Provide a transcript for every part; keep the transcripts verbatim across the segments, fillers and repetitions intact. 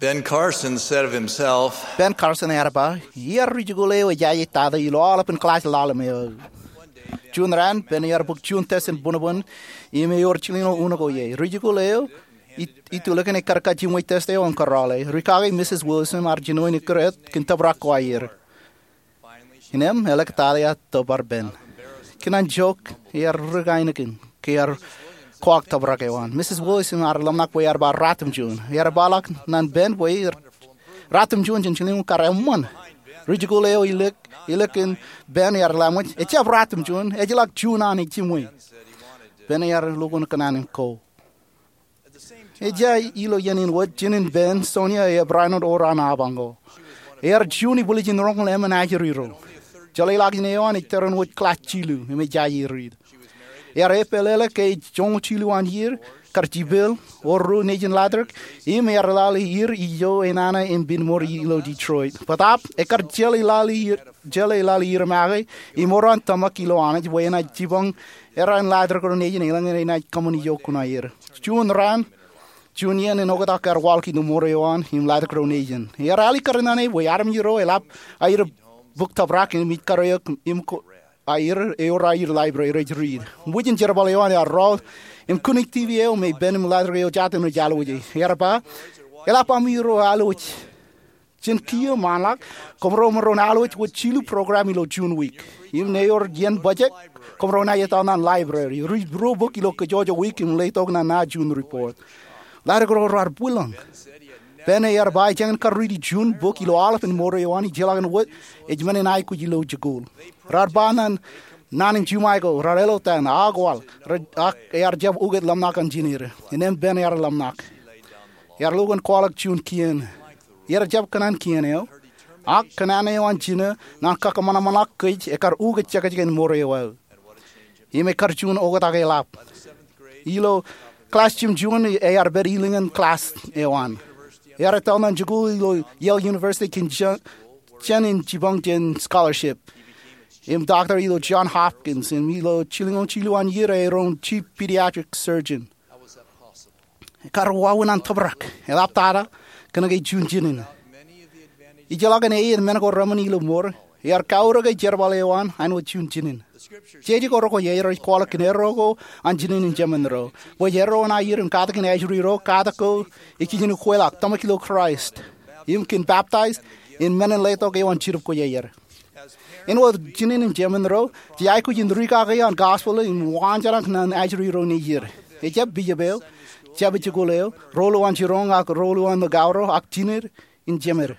Ben Carson said of himself, Ben Carson ear ba, iar ri-jikuuḷ eo ejaje tata ilo aolepān klass ḷalem eo. Juon raan, Ben ear bōk juon test in būnbōn im ewōr jilñoul uno ko ie. Ri-jikuuḷ eo itulōñ in ekkar kajjimwe test eo im kōrọọl e. Rikaki Mrs. Wilson ear jino in ekkar kōn tōprak ko aer. Innām, eḷak tata ear tōpar Ben. Kōn an jook, ear ri-kainikien ke ear kwaḷọk tōprak eo an. Mrs. Wilson ear ḷōmṇak bwe ear ba ratimjuon. Ear ba ḷọk ñan Ben bwe ratimjuon jān jilñoul kar eṃṃan. Ri-jikuuḷ eo ilōñ, ilōñ in Ben ear ḷōmṇak, ejjab ratimjuon, ejjeḷọk juon an ejjimwe. Ben ear lukkuun kōṇaan in ko. Ejja ilo iien in wōt, jinen Ben, Sonia, ej bar āinwōt ewōr an apañ ko. Ear juon ibwiljin roñoul emān ajri ro. Jeḷāḷọkjeṇ eo an ej tarrin wōj klass jilu im ej jaje riit. Ear eppeḷeḷe ke ej joñoul jilu an iiō, kar jipel, ewōr ruo nejin ḷadik, im ear lale iiō ijo enana im pinemour ilo Detroit. Bōtaab, ekkar jeḷā lale iiō, jeḷā lale iiō make, im ewōr an tōmak ilo Anij bwe enaaj jipañ erro in ḷadik ro nejin eḷaññe enaaj kōṃṃan ijo kuṇaer. Juon raan, juon iien en oktak ear waḷọk ilo mour eo an im ḷadik ro nejin. Ear alikkar naan e bwe armej ro eḷap aer bōk tōprak im ij kar eok im ko aer, ewōr aer library rej riit. Wūjin jerbal eo an ear rọọl im kūnik TV eo me Ben im ḷadik eo jatū rej alwōje. Ear ba, eḷap ami ro alwōj. Jān kiiō ṃaanḷọk, koṃro maroñ alwōj wōt jilu program ilo juon wiik. Im ṇe ewōr iien bajjek, koṃro naaj etal ñan library, riit ruo bok ilo kōjwōj wiik im letok ñan ña juon report. Ḷadik ro raar bwilōñ. Ben ear ba ejjañin kar riiti juon bok ilo aolepān mour eo an ijjeḷọkin wōt ej men in aikuj ilo jikuuḷ. Raar ba ñan naan in jiṃwe ko, raar eḷotan, ak waḷ, ak ear jab ukōt ḷōmṇak ñan jineer. Innām Ben ear ḷōmṇak. Ear lukkuun kwaḷọk juon kien. Ear jab kōṇaan kien eo. Ak kōṇaan eo an jino ñan kakōṃanṃanḷọk kōj ekkar ukōt jekjek in mour eo aō. Im ekkar juon oktak eḷap. Ilo klass jimjuon ear pād ilōñ in klass eo an. Ear etal ñan jikuuḷ ilo Yale University kōn jān, jān in jipañ jān scholarship. Im doctor ilo John Hopkins, im ilo jilñoul jilu an iiō ear roñ chief pediatric surgeon. Ekkar wāween an tōprak, eḷaptata, kōnke juon jinen. Ijjeḷọkin eiiet men ko reṃōn ilo mour, ear kaurōke jerbal eo an āinwōt juon jinen. Jeje ko rekwojarjar ej kwaḷọk kōn erro ko an jinen in jemān ro. Bwe erro an aier in katakin ajri ro, katak ko ej kijenukweḷọk, tōmak ilo Kraist. Im kōn baptize, in men in letok eo an Jetōb Kwōjarjar. Āinwōt jinen in jemān ro, jej aikuj in rikaki an gospel im waanjoñak ñan ajri ro nejier. Ejjab bishop eo, jabdewōt jikuuḷ eo, ro ilo an jiroñ ak ro ilo an likao ro, ak jinen in jemād.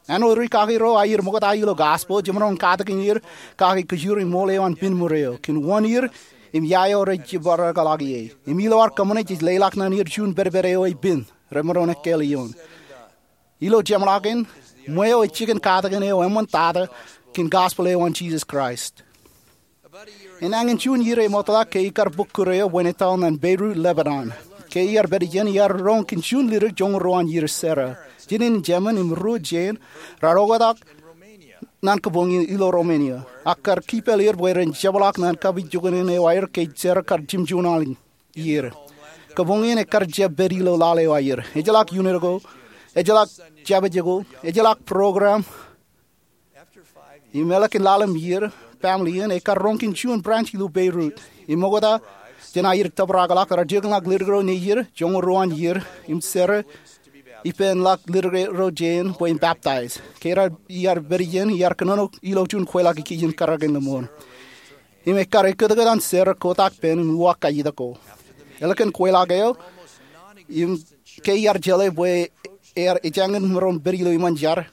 Āinwōt rikaki ro aier ṃokta ilo gospel, jemaroñ katakin er kaki kōjur im ṃool eo an pinemour eo kōn wōn er im ia eo rej jibadekḷọk ie. Im ilo ad kōṃṃane jej leḷọk ñan er juon pedped eo ej pen, remaroñ ekkāāl ioon. Ilo jeṃḷọkin, ṃweo ej jikin katakin eo eṃṃantata kōn gospel eo an Jisōs Kraist. Enañin juon iiō eṃōtḷọk ke ikar bōk kūr eo bwe en etal ñan Beirut, Lebanon. Ke iar pād ijeṇ iar roñ kōn juon ledik joñoul ruo an iiō, Sarah. Jinen in jemān im ruo jein raar oktak ñan kōpoñi ilo Romania. Ak kar kiippāl er bwe ren jepḷaak ñan kapijuknen eo aer ke Sarah kar jimjuon aḷ iiō. Kōpoñi in ekkar jab pād ilo laḷ eo aer. Ejjeḷọk unit ko, ejjeḷọk jabdewōt jikuuḷ, ejjeḷọk program. Im eḷak in ḷalem iiō, family in, ekkar roñ kōn juon branch ilo Beirut. Im ṃokta jān aer tōprakḷọk, raar jokḷọk ledik ro nejier joñoul ruo an iiō, im Sarah ippān ḷọk ledik ro jein bwe en baptize. Ke raar, iar pād ijeṇ, iar kōnono ilo juon kweilọk ikijjien kōrā in lemon. Im ekkar ekkōtkōt an Sarah kotak pen im uwaak kajjitōk ko. Eḷak in kweilọk eo, im ke iar jeḷā bwe ear ejañin maroñ pād ilo iṃōn jar,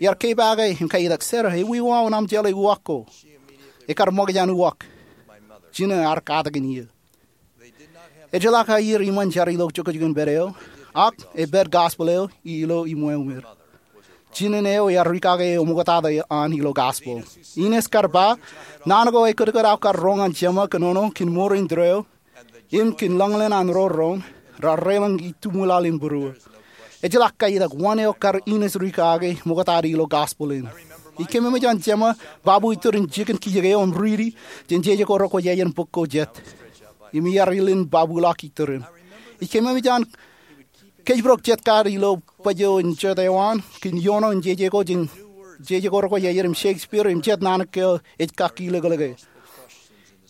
iar kepaake im kajjitōk, Sarah, ewi wāween aṃ jeḷā uwaak ko? Ekkar ṃōkaj an uwaak. Jino ear katakin iiō. Ejjeḷọk aier iṃōn jar ilo jokjok in pād eo, ak epād gospel eo ilo iṃweo er. Jinen eo ear rikaki eo ṃoktata an ilo gospel. Ines kar ba, naan ko ekkōtkōt aō kar roñ an jeṃa kōnono kōn mour in tōre eo, im kōn ḷōñḷōñ an ro roñ, raar reḷōñ ituṃwilal in būruō. Ejjeḷọk kajjitōk wōn eo kar Ines rikaki ṃoktata ilo gospel in. Ij kememej an jeṃa babu itōrin jikin kijek eo im riiti jān jeje ko rekwōjarjar in bok ko jet. Im iar ilin babuḷọk itōrin. Ij kememej an kōjparok jet kar ilo bōjjāwōt in jota eo an, kōn iono in jeje ko jān, jeje ko rekwōjarjar im Shakespeare im jet naan ko ej kakilōklōke.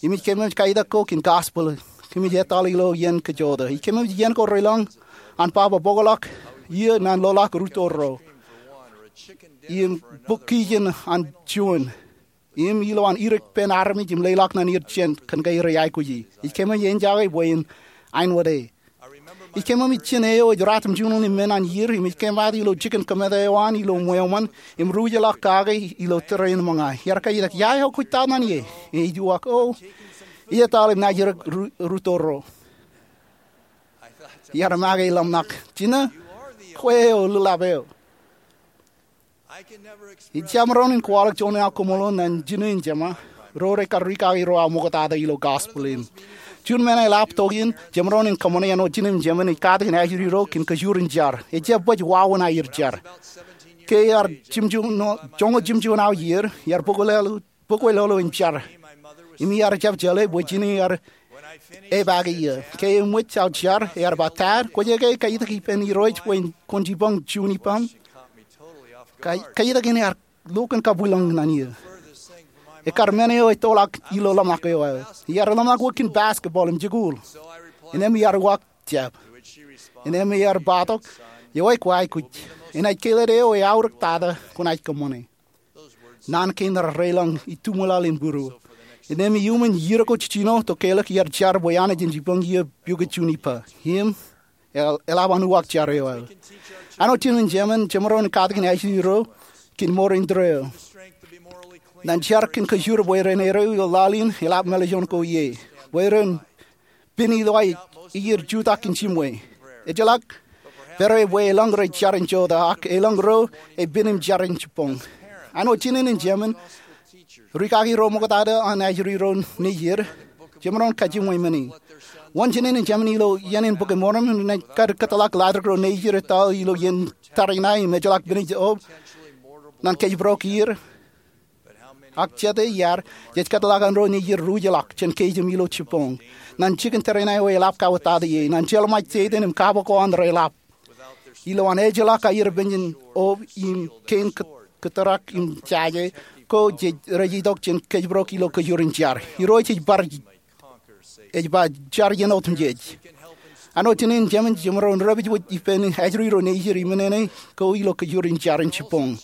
Im ij kōṃṃan kaitak ko kōn gospel, kōmij etal ilo iien kōjota. Ij kōṃṃan iien ko reilañ an baba bōkḷọk, iiō naan ḷoḷọk ruo tōl ro, im bōk kijen an juon, im ilowaan irik pen armej im leḷọk naan er jān kōn ke rej aikuji. Ij kōṃṃan eñjake bwe in aiwōde. Ij kōṃṃan ijin eo ej ratimjuonñoul im men an iiō, im ij kōmaat ilo jikin kōmāte eo an ilo ṃweo ṃōn, im ruj ḷọk kake ilo tōre in ṃōñā. Iar kaitak, ia eo kwōj ta naan ie? Im ij uwaak, o, ij etal im naajdik ruo, ruo tōl ro. Iar make ḷōmṇak, Jina, kwe eo lōḷḷap eo. Ij jab maroñ in kwaḷọk juon aō koṃṃool ñan jine im jema, ro rekar rikaki ro aō ṃoktata ilo gospel in. Juon men eḷap tok in, jemaroñ in kōṃṃane āinwōt jinen im jemen ej katakin ajri ro kōn kajoor in jar. Ej jab baj wāween aer jar. Ke iar jimjuon, joñoul jimjuon aō iiō, iar bōk bōkwōlolo im jar. Im iar jab jeḷā bwe jinen iar epaake iiō. Ke eṃōj aō jar, ear ba, Dad, kwōj ke kaitak ippān Irooj bwe kwōn jipañ juon ippaṃ? Kai-, kaitak in ear lo kōn kabwilañ ñan iiō. Ekar men eo ettoḷọk ilo ḷōmṇak eo aō. Iar ḷōmṇak wōt kōn basketball im jikuuḷ. Innām iar uwaak jab. Innām iar ba tok, Ewi, kwō aikuj. Enaaj kelōt eo eaorōk tata kwōnaaj kōṃṃane. Naan kein rej reilañ ituṃwilal in būruō. Innām iuṃwin iiō ko jiljino, tokālik iar jar bwe Anij en jipañ iiō pukot juon ippa. Im el-, eḷap an uwaak jar eo aō. Āinwōt jinen im jemen, jemaroñ in katakin ajri ro kōn mour in tōre eo. Ñan jar kōn kajoor bwe ren erreo ilo laḷ in, eḷap mālejjoñ ko ie. Bwe ren pen ilo aer jutak kōn jimwe. Ejjeḷọk pād bwe elōñ rej jar in jota, ak elōñ ro ej pen im jar in jibboñ. Āinwōt jinen im jemen rikaki ro ṃoktata an ajri ro nejier, jemaroñ kajjimwe men in. Wōn jinen im jemen ilo iien in Bok in Mormon, renaaj kar kōtḷọk laajrak ro nejier etal ilo iien tariṇae im ejjeḷọk pen ej ob ñan kōjparok er. Ak jete iar, jej kōtḷọk an ro nejier ruj ḷọk jān kōjām ilo jibboñ. Ñan jikin tariṇae eo eḷap kauwōttata ie, ñan jeḷā ṃōj Setan im kab ko an reḷap. Ilowaan ejjeḷọk aer pen jān ob im kein kō-, kōtōrak im jaje, ko jej rej itok jān kōjparok ilo kajoor in jar. Irooj ej bar ej ba jar iien otemjej. Āinwōt jinen im jemen jemaroñ in repej wōt ippān ajri ro nejier im men eo ko ilo kajoor in jar in jibboñ.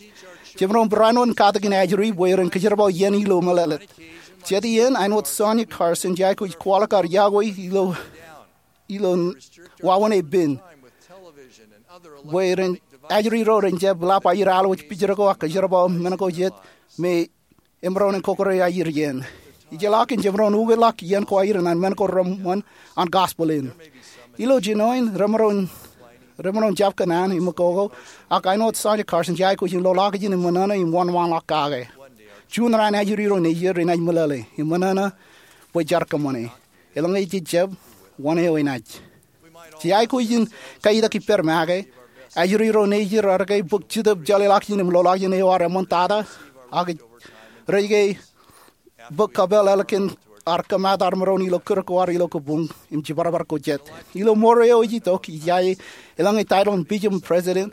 Jemaroñ barāinwōt in katakin ajri bwe ren kōjerbal iien ilo meḷeḷe. Jet iien āinwōt Sonya Carson, ij aikuj kwaḷọk ad iọkwe ilo, ilo wāween pen. Bwe ren ajri ro ren jab ḷap aer alwōj pijero ko ak kōjerbal men ko jet me emaroñ in kōkōrā aer iien. Ijjeḷọkin jemaroñ ukōtḷọk iien ko aer ñan men ko reṃṃan an gospel in. Ilo jinoin remaroñ, remaroñ jab kōṇaan im kōkō, ak āinwōt Sonya Carson, ij aikuj in lolọọkjeṇ im ṃōṇōṇō im wōnṃaanḷọk kake. Juon raan ajri ro nejier renaaj meḷeḷe im ṃōṇōṇō bwe jaar kōṃṃane. Eḷaññe jej jab, wōn eo enaaj? Jej aikuj in kaitak ippād make, ajri ro nejier ar ke bōk Jetōb Jeḷāḷọkjeṇ im lolọọkjeṇ eo ad eṃṃantata, ak rej ke bōk kapeel ālikin ad kōmaat armej ro ilo kūr ko ad ilo kōbuñ im jibadbad ko jet. Ilo mour eo ej itok, ij iaan eḷaññe title in bishop im president,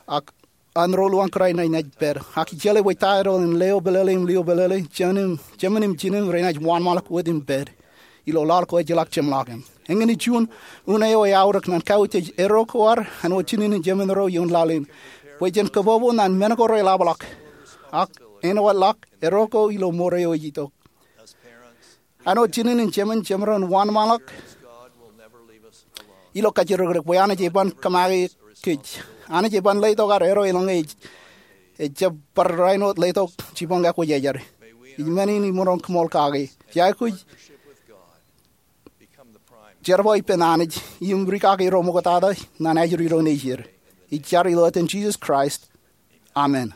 ak an ro luañ kōrā enaaj pād. Ak ij jeḷā bwe title in leo pelele im lio pelele, jemen im, jemen im jinen renaaj wōnṃaanḷọk wōt im pād ilo laḷ ko ejjeḷọk jeṃḷọkin. Eñin ej juon unin eo eaorōk ñan kautiej erro ko ad āinwōt jinen im jemen ro ioon laḷ in, bwe jen kōbōbō ñan men ko reḷapḷọk, ak āinwōt ḷọk erro ko ilo mour eo ej itok. Āinwōt jinen im jemen, jemaroñ in wōnṃaanḷọk ilo kajjirōkrōk bwe Anij eban kōmake kōj. Anij eban letok ad erro eḷaññe ej, ej jab bar rainin letok jibboñ ekwōjarjar. Ij men in imaroñ koṃṃool kake. Ij aikuj jerbal ippān Anij im rikaki ro ṃoktata ñan ajri ro nejier. Ij jar ilo etan Jisōs Kraist. Amen.